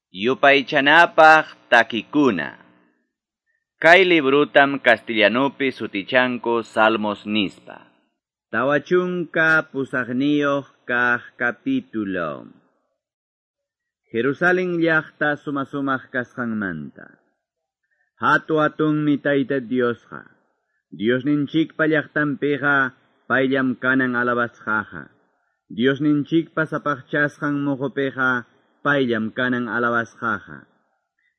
Yupaychanapaq takikuna. Kay librutam castellanupi sutichanku Salmos nispa. 48 kaq capítulo. Jerusalén llaqta sumasumaq kasqanmanta. Hatu hatunmi Tayta Diosqa. Diosninchikpa llaqtanpiqa payllam kanan alabasqaqa. Diosninchikpa sapaqchasqan muqupiqa payllam kanan alabasqaqa.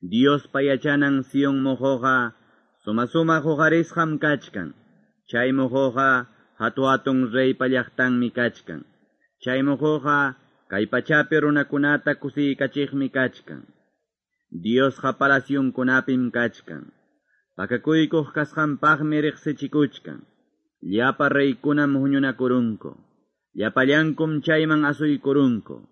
Diospa yachanan Sion muquqa suma-sumaq huqarisqam kachkan. Chay muquqa hatu hatun reypa llaqtanmi kachkan. Chay muquqa kay pachapi runakunata kusiykachiqmi kachkan. Diosqa palasyunkunapim kachkan. Pakakuykuq kasqanpaqmi riqsichikuchkan. Llapa reykunam huñunakurunku. Llapallankum chayman asuykurunku.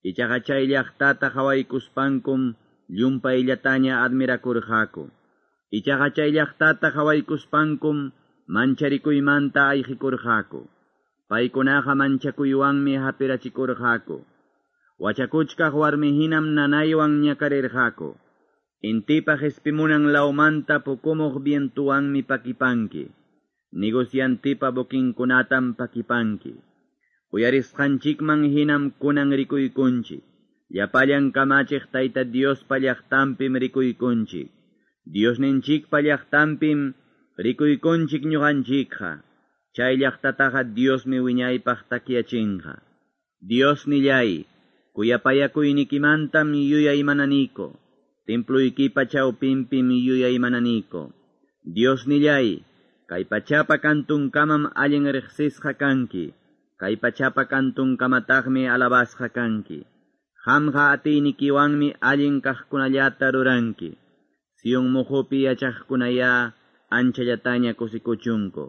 Ichaqa chay llaqtata qhawaykuspankum llumpayllataña admirakurqaku. Ichaqa chay llaqtata qhawaykuspankum mancharikuymanta ayqikurqaku. Paykunaqa manchakuywanmi hapirachikurqaku. Wachakuchkaq warmihinam nanaywan ñakarirqaku. Intipa qispimunan lawmanta pukumuq vientuwanmi pakipanki. Negociantipa buquinkunatam pakipanki. Uyarisqanchikman hinam kunan rikuykunchik. Llapallan kamachiq Tayta Diospa llaqtanpim rikuykunchik. Diosninchikpa llaqtanpim rikuykunchik ñuqanchikqa. Chay llaqtataqa Diosmi wiñaypaq takyachinqa. Dios nillay, kuyapayakuynikimantam yuyaymananiko. Templuykipa chawpinpim yuyaymananiko. Dios nillay, kay pachapa kantunkamam allin riqsisqa kanki. Kay pachapa kantunkamataqmi alabasqa kanki. Qamqa atiynikiwanmi allin kaqkunallata ruranki. Sion muqupi yachaqkunaya anchallataña kusikuchunku.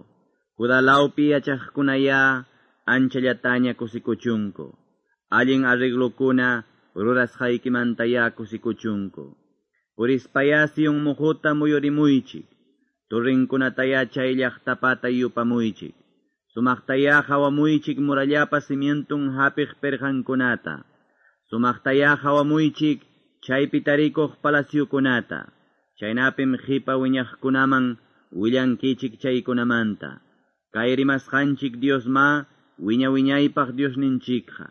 Judá lawpi yachaqkunaya anchallataña kusikuchunku. Allin arreglukuna rurasqaykimantaya kusikuchunku. Purispaya Sion muquta muyurimuychik. Turrinkunataya chay llaqtapata yupamuychik. Sumaqtaya qhawamuychik murallapa cimientun hapiq pirqankunata. Sumaqtaya qhawamuychik chaypi tarikuq palasyukunata. Chaynapim qipa wiñaqkunaman willankichik chaykunamanta. Kay rimasqanchik Diosma wiña wiñaypaq Diosninchikqa.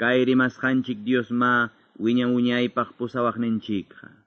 Kay rimasqanchik Diosma wiña wiñaypaq pusawaqninchikqa.